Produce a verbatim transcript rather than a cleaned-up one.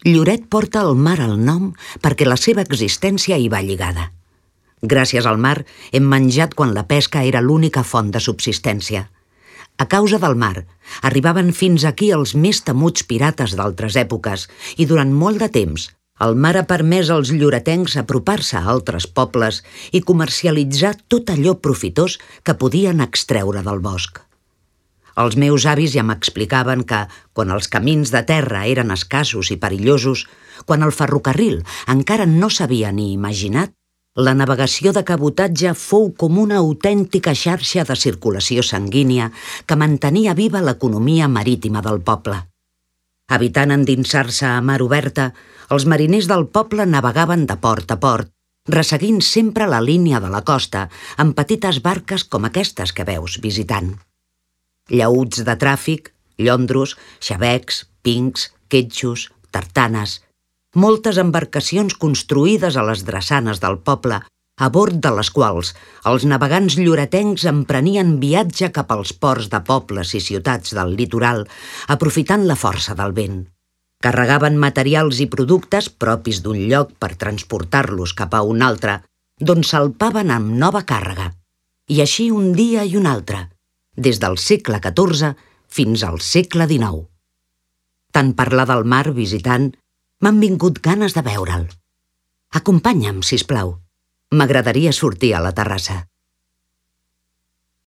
Lloret porta el mar al nom perquè la seva existència hi va lligada. Gràcies al mar hem menjat quan la pesca era l'única font de subsistència. A causa del mar, arribaven fins aquí els més temuts pirates d'altres èpoques i durant molt de temps el mar ha permès als lloretencs apropar-se a altres pobles i comercialitzar tot allò profitós que podien extreure del bosc. Els meus avis ja m'explicaven que, quan els camins de terra eren escassos i perillosos, quan el ferrocarril encara no s'havia ni imaginat, la navegació de cabotatge fou com una autèntica xarxa de circulació sanguínia que mantenia viva l'economia marítima del poble. Evitant endinsar-se a mar oberta, els mariners del poble navegaven de port a port, resseguint sempre la línia de la costa amb petites barques com aquestes que veus visitant. Llaüts de tràfic, llondros, xavecs, pincs, quetxos, tartanes, moltes embarcacions construïdes a les drassanes del poble, a bord de les quals els navegants lloretencs emprenien viatge cap als ports de pobles i ciutats del litoral, aprofitant la força del vent. Carregaven materials i productes propis d'un lloc per transportar-los cap a un altre, d'on salpaven amb nova càrrega. I així un dia i un altre, des del segle catorze fins al segle dinou. Tant parlar del mar visitant, m'han vingut ganes de veure'l. Acompanya'm, sisplau. M'agradaria sortir a la terrassa.